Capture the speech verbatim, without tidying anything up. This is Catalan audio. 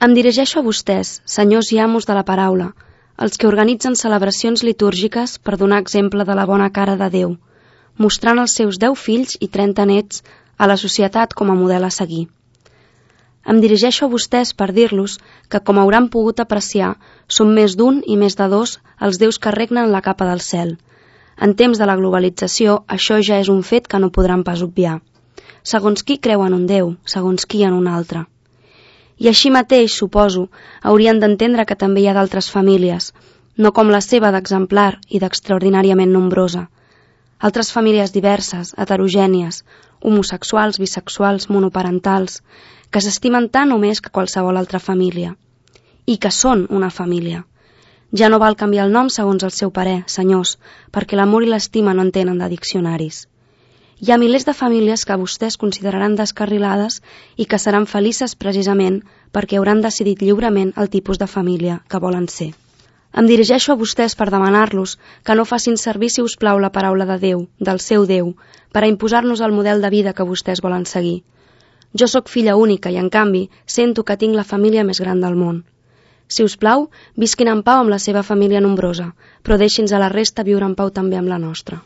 Em dirigeixo a vostès, senyors i amos de la paraula, els que organitzen celebracions litúrgiques per donar exemple de la bona cara de Déu, mostrant els seus deu fills i trenta nets a la societat com a model a seguir. Em dirigeixo a vostès per dir-los que, com hauran pogut apreciar, són més d'un i més de dos els déus que regnen la capa del cel. En temps de la globalització, això ja és un fet que no podran pas obviar. Segons qui creu en un déu, segons qui en un altre. I així mateix, suposo, haurien d'entendre que també hi ha d'altres famílies, no com la seva d'exemplar i d'extraordinàriament nombrosa. Altres famílies diverses, heterogènies, homosexuals, bisexuals, monoparentals, que s'estimen tant o més que qualsevol altra família. I que són una família. Ja no val canviar el nom segons el seu parer, senyors, perquè l'amor i l'estima no en tenen de diccionaris. Hi ha milers de famílies que vostès consideraran descarrilades i que seran felices precisament perquè hauran decidit lliurement el tipus de família que volen ser. Em dirigeixo a vostès per demanar-los que no facin servir, si us plau, la paraula de Déu, del seu Déu, per a imposar-nos el model de vida que vostès volen seguir. Jo sóc filla única i, en canvi, sento que tinc la família més gran del món. Si us plau, visquin en pau amb la seva família nombrosa, però deixi'ns a la resta viure en pau també amb la nostra.